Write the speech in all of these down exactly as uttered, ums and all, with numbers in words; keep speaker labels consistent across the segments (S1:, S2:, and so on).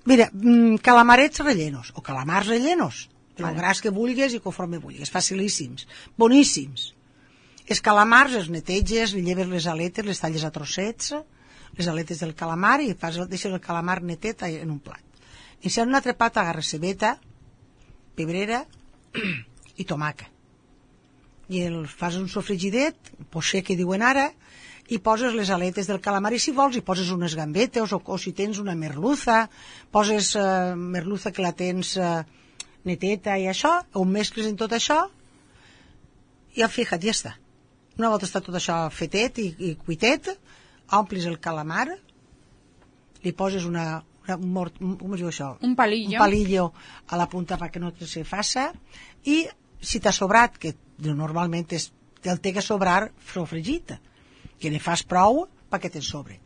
S1: Mira, calamarets rellenos, o calamars rellenos, el gras que vulguis i conforme vulguis, facilíssims, boníssims. Els calamars els neteges, li lleves les aletes, les talles a trossets, les aletes del calamar i fas, deixes el calamar netet en un plat. I si en un altre plat agarres cebeta, pebrera i tomaca. I el fas un sofregidet, poché que diuen ara, i poses les aletes del calamar i si vols hi poses unes gambetes o, o si tens una merluza, poses uh, merluza que la tens uh, neteta i això, ho mescles en tot això i fija't, ja està. Una volta està tot això fetet i, i cuitet, omplis el calamar, li poses una, una mort, com es diu això?
S2: Un palillo.
S1: Un palillo a la punta perquè no se faça i si t'ha sobrat, que normalment és, el té que sobrar sofregit, que ne fas prou perquè te'n sobre.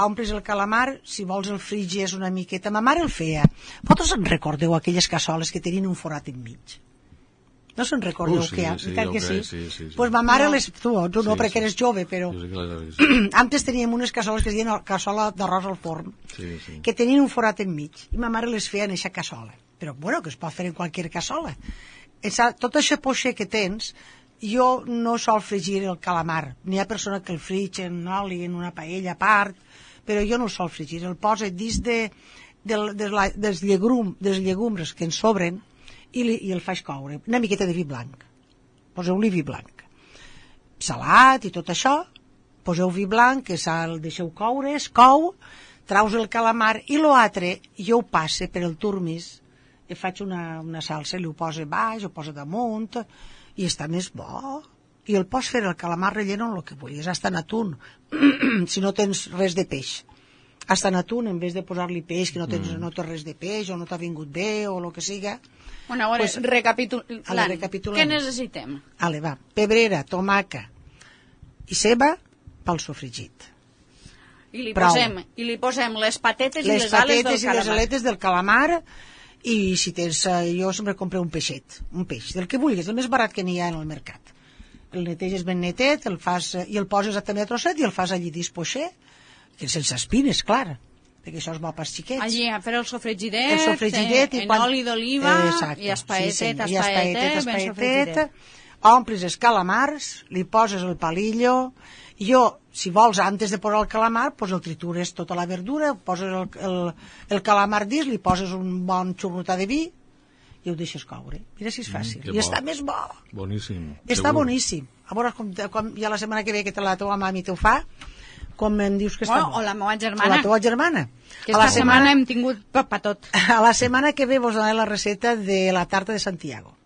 S1: Omplis el calamar, si vols el frigies una miqueta. Ma mare el feia. Vosaltres en recordeu aquelles cassoles que tenien un forat enmig? No se'n recordeu
S3: uh, sí,
S1: que?
S3: Sí,
S1: que
S3: sí,
S1: sí?
S3: sí, sí, sí.
S1: Pues ma mare
S2: no.
S1: les... Tu, tu no,
S3: sí,
S1: perquè
S3: sí.
S1: eres jove, però...
S3: Sí, sí, sí.
S1: Antes teníem unes cassoles que es deien cassola d'arròs al forn,
S3: Sí, sí.
S1: que tenien un forat enmig, i ma mare les feia en eixa cassola. Però, bueno, que es pot fer en qualsevol cassola. Esa, tot això poixer que tens, jo no sol fregir el calamar. N'hi ha persona que el frig en oli, en una paella a part, però jo no el sol fregir. El posa dins de, de, de la, dels, llegum, dels llegums que en sobren i, li, i el faig coure. Una miqueta de vi blanc. Poseu-li vi blanc. Salat i tot això, poseu vi blanc, que el deixeu coure, es cou, traus el calamar i l'altre jo ho passe per el turmis, i faig una, una salsa, li ho posa baix, ho posa damunt, i està més bo. I el pots fer el calamar relleno en el que vulguis, hasta en atún, si no tens res de peix. Hasta en atún, en vez de posar-li peix, que no tens, mm. no tens res de peix, o no t'ha vingut bé, o el que siga.
S2: Bueno, a veure,
S1: Pues,
S2: recapitulant,
S1: ale, recapitulem.
S2: què necessitem?
S1: Ale, va, pebrera, tomaca i ceba pel sofregit.
S2: I li,
S1: Prou.
S2: posem, I li posem les patetes
S1: Les
S2: i les ales del
S1: patetes i
S2: calamar.
S1: les aletes del calamar, i si tens, eh, jo sempre compro un peixet, un peix, del que vulguis, el més barat que n'hi ha en el mercat. El neteges ben netet, el fas, i el poses també a trosset i el fas allí dispoixer, que sense espines, clar, perquè això és bo pels xiquets.
S2: Allí a fer el sofregidet,
S1: El sofregidet
S2: en,
S1: i quan...
S2: en oli d'oliva,
S1: Exacte,
S2: i espaetet,
S1: sí,
S2: espaetet,
S1: i espaetet,
S2: ben
S1: espaetet,
S2: sofregidet.
S1: omplis els calamars, li poses el palillo, jo, si vols, antes de posar el calamar, pues el tritures tota la verdura, poses el, el, el calamar dins, li poses un bon xurrutà de vi i ho deixes coure. Mira si és fàcil.
S3: Mm,
S1: I
S3: bo.
S1: està més bo.
S3: Boníssim.
S1: Està
S3: segur.
S1: boníssim. A veure, com, com ja la setmana que ve que te la teva mami t'ho fa, com em dius que està
S2: Bueno,
S1: bo.
S2: o la meva
S1: O
S2: germana,
S1: la teva germana.
S2: que
S1: A la
S2: esta setmana hem tingut pa, pa tot.
S1: A la setmana que ve vos donaré la receta de la tarta de Santiago.